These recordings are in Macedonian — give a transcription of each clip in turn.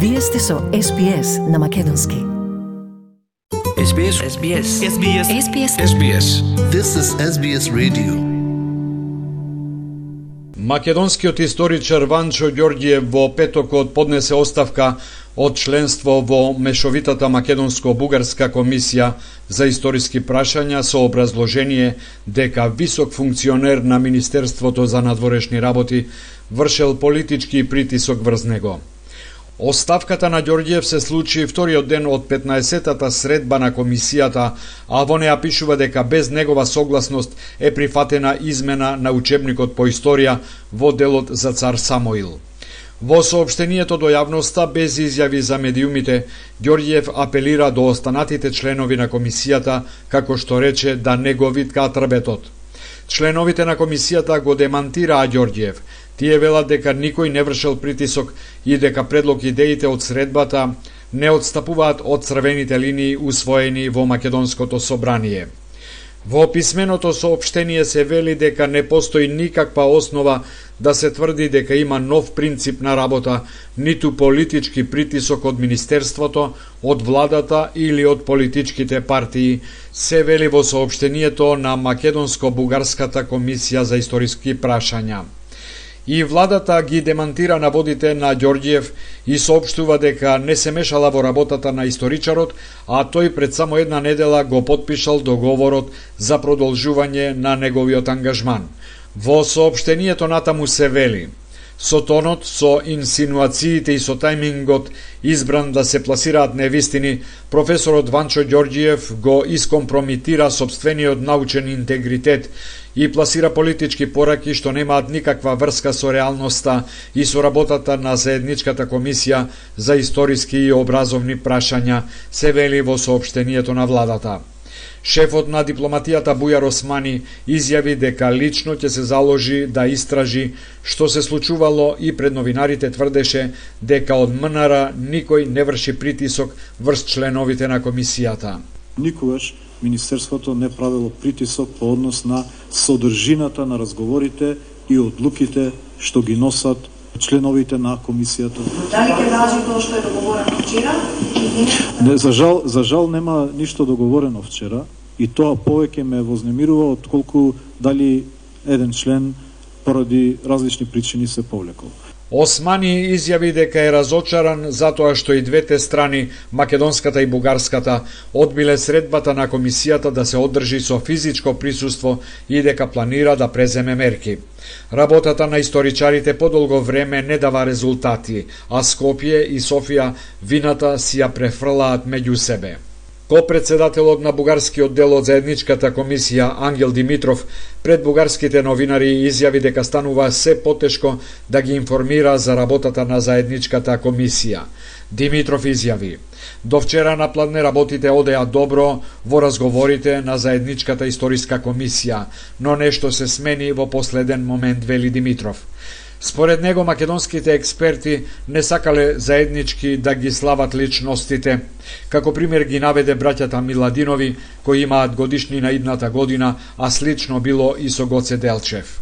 Вие сте со SBS на македонски. SBS. This is SBS Radio. Македонскиот историчар Ванчо Ѓорѓиев во петокот поднесе оставка од членство во мешовитата македонско-бугарска комисија за историски прашања со образложение дека висок функционер на Министерството за надворешни работи вршел политички притисок врз него. Оставката на Ѓорѓиев се случи вториот ден од 15-тата средба на комисијата, а во неа пишува дека без негова согласност е прифатена измена на учебникот по историја во делот за цар Самоил. Во соопштението до јавноста, без изјави за медиумите, Ѓорѓиев апелира до останатите членови на комисијата, како што рече, да не го виткаат трбетот. Членовите на комисијата го демантираа Ѓорѓиев. Тие велат дека никој не вршел притисок и дека предлог идеите од средбата не отстапуваат од црвените линии усвоени во Македонското собрание. Во писменото соопштение се вели дека не постои никаква основа да се тврди дека има нов принцип на работа, ниту политички притисок од Министерството, од владата или од политичките партии, се вели во соопштението на Македонско-бугарската комисија за историски прашања. И владата ги демантира наводите на Ѓорѓиев и соопштува дека не се мешала во работата на историчарот, а тој пред само една недела го потпишал договорот за продолжување на неговиот ангажман. Во соопштението натаму се вели: со тонот, со инсинуациите и со тајмингот избран да се пласираат невистини, професорот Ванчо Ѓорѓиев го искомпромитира сопствениот научен интегритет и пласира политички пораки што немаат никаква врска со реалноста и со работата на заедничката комисија за историски и образовни прашања, се вели во соопштението на владата. Шефот на дипломатијата Бујар Османи изјави дека лично ќе се заложи да истражи што се случувало и пред новинарите тврдеше дека од МНР никој не врши притисок врз членовите на комисијата. Никогаш Министерството не правило притисок по однос на содржината на разговорите и одлуките што ги носат членовите на комисијата. Дали ќе важи тоа што е договорено вчера? Не, за жал нема ништо договорено вчера и тоа повеќе ме вознемирува отколку дали еден член поради различни причини се повлекол. Османи изјави дека е разочаран затоа што и двете страни, македонската и бугарската, одбиле средбата на комисијата да се одржи со физичко присуство и дека планира да преземе мерки. Работата на историчарите подолго време не дава резултати, а Скопје и Софија вината си ја префрлаат меѓу себе. Ко-председателот на бугарскиот дел од заедничката комисија Ангел Димитров пред бугарските новинари изјави дека станува се потешко да ги информира за работата на заедничката комисија. Димитров изјави: до вчера напладне работите одеа добро во разговорите на заедничката историска комисија, но нешто се смени во последен момент, вели Димитров. Според него, македонските експерти не сакале заеднички да ги слават личностите. Како пример ги наведе браќата Миладинови, кои имаат годишнина идната година, а слично било и со Гоце Делчев.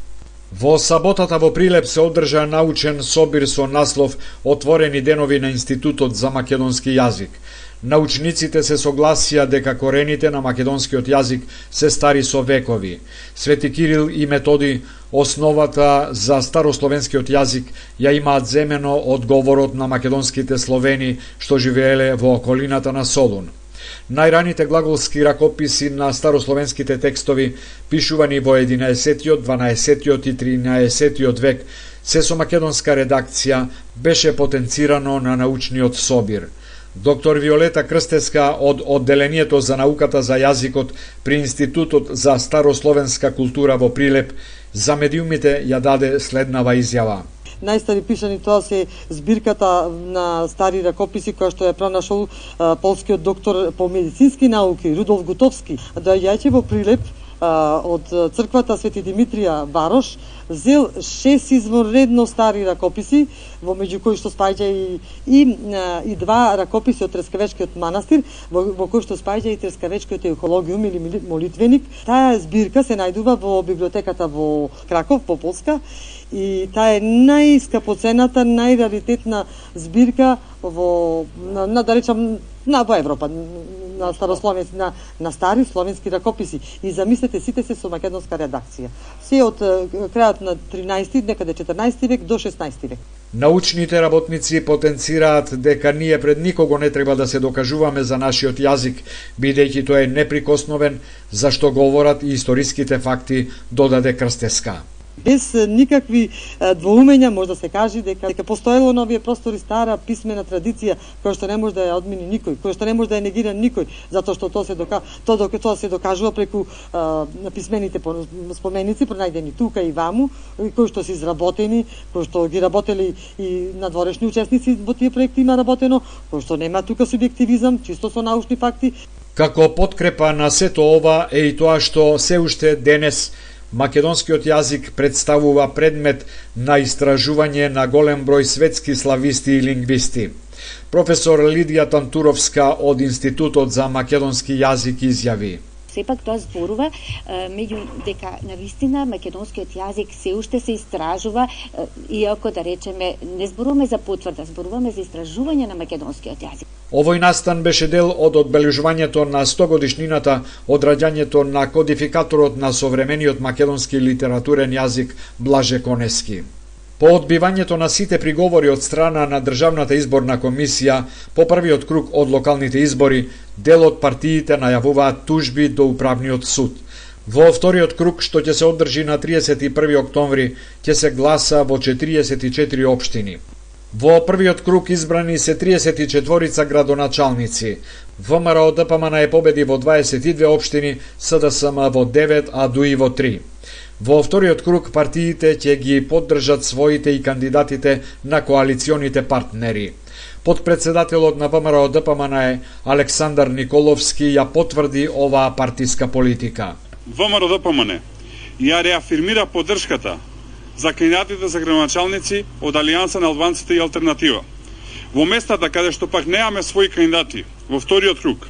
Во саботата во Прилеп се одржа научен собир со наслов «Отворени денови на Институтот за македонски јазик». Научниците се согласија дека корените на македонскиот јазик се стари со векови. Свети Кирил и Методи основата за старословенскиот јазик ја имаат земено од говорот на македонските словени што живееле во околината на Солун. Најраните глаголски ракописи на старословенските текстови, пишувани во 11-тиот, 12-тиот и 13-тиот век, се со македонска редакција, беше потенцирано на научниот собир. Доктор Виолета Крстеска од Одделението за науката за јазикот при Институтот за старословенска култура во Прилеп за медиумите ја даде следнава изјава. Најстари пишани тоа се збирката на стари ракописи која што ја пронашол полскиот доктор по медицински науки Рудолф Гутовски. Доаѓајќи во Прилеп, од црквата Свети Димитрија Варош зел 6 изворедно стари ракописи, во меѓу кои што спаѓа и два ракописи од Трескавечкиот манастир, во кои што спаѓа и Трескавечкиот еухологиум или молитвеник. Таа збирка се најдува во библиотеката во Краков, во Полска, и таа е најскапоцената, најраритетна збирка во во Европа, на старословенски, на стари словенски ракописи. И замислете, сите се со македонска редакција. Се од крајот на 13, некаде 14 век до 16 век. Научните работници потенцираат дека ние пред никого не треба да се докажуваме за нашиот јазик, бидејќи тој е неприкосновен, зашто говорат и историските факти, додаде Крстеска. Без никакви двоумења може да се каже дека постоело на овие простори стара писмена традиција која што не може да ја одмини никој, која што не може да ја негира никој, затоа што тоа се докажува преку писмените споменици пронајдени тука и ваму, кои што се изработени, кои што ги работели и надворешни учесници во тие проекти има работено, кои што нема тука субјективизам, чисто со научни факти. Како подкрепа на сето ова е и тоа што се уште денес македонскиот јазик представува предмет на истражување на голем број светски слависти и лингвисти. Професор Лидија Тантуровска од Институтот за македонски јазик изјави: Сепак тоа зборува меѓу дека навистина македонскиот јазик се уште се истражува, иако да речеме не зборуваме за потврда, зборуваме за истражување на македонскиот јазик. Овој настан беше дел од одбележувањето на 100 годишнината од раѓањето на кодификаторот на современиот македонски литературен јазик Блаже Конески. По одбивањето на сите приговори од страна на Државната изборна комисија по првиот круг од локалните избори, дел од партиите најавуваат тужби до управниот суд. Во вториот круг, што ќе се одржи на 31 октомври, ќе се гласа во 44 општини. Во првиот круг избрани се 34 градоначалници. ВМРО ДПМН е победи во 22 општини, СДСМ во 9, а ДУИ во 3. Во вториот круг партиите ќе ги поддржат своите и кандидатите на коалиционите партнери. Подпредседателот на ВМРО ДПМН Александар Николовски ја потврди оваа партиска политика. ВМРО ДПМН ја реафирмира поддршката за кандидатите за градоначалници од Алијанса на албанците и Алтернатива. Во местата каде што пак неаме своји кандидати во вториот круг,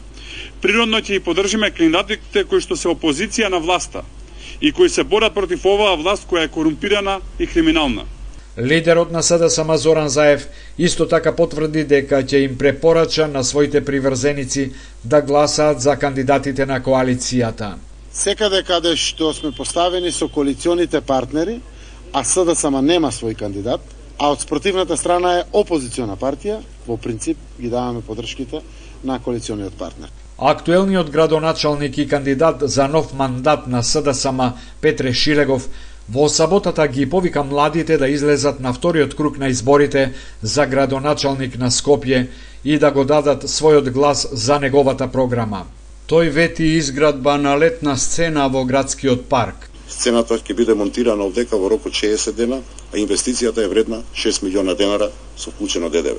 природно ќе и поддржиме кандидатите кои што се опозиција на власта и кои се борат против оваа власт која е корумпирана и криминална. Лидерот на СДСМ Зоран Заев исто така потврди дека ќе им препорача на своите приврзеници да гласаат за кандидатите на коалицијата. Секаде каде што сме поставени со коалиционите партнери, а СДСМ нема свој кандидат, а од спротивната страна е опозициона партија, во принцип ги даваме поддршките на коалициониот партнер. Актуелниот градоначалник и кандидат за нов мандат на СДСМ Петре Шилегов во саботата ги повика младите да излезат на вториот круг на изборите за градоначалник на Скопје и да го дадат својот глас за неговата програма. Тој вети изградба на летна сцена во градскиот парк. Сцената ќе биде монтирана овдека во рок од 60 дена, а инвестицијата е вредна 6 милиона денара со вклучено ДДВ.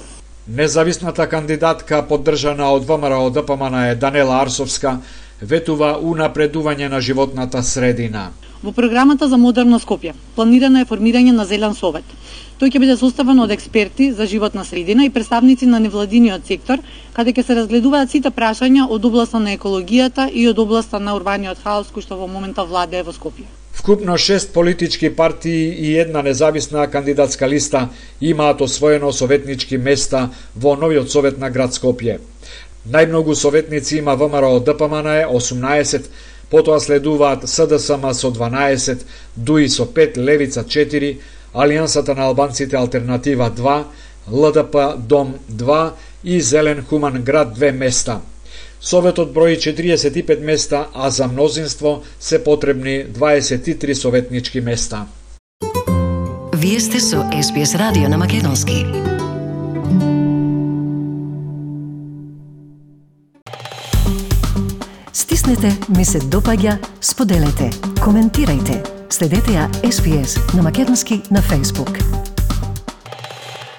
Независната кандидатка поддржана од ВМРО ДПМН Данела Арсовска ветува унапредување на животната средина. Во програмата за модерно Скопје планирано е формирање на зелен совет. Тој ќе биде составен од експерти за животна средина и представници на невладиниот сектор, каде ќе се разгледуваат сите прашања од областа на екологијата и од областа на урбаниот хаос кој што во моментот владее во Скопје. Вкупно 6 политички партии и една независна кандидатска листа имаат освоено советнички места во новиот совет на град Скопје. Најмногу советници има ВМРО ДПМН 18, потоа следуваат СДСМ со 12, ДУИ со 5, Левица 4, Алијансата на албанците Алтернатива 2, ЛДП Дом 2 и Зелен Хуман град 2 места. Советот брои 45 места, а за мнозинство се потребни 23 советнички места. Вие сте со SBS радио на македонски. Стиснете, ми се допаѓа, споделете, коментирајте. Следете ја SBS на македонски на Facebook.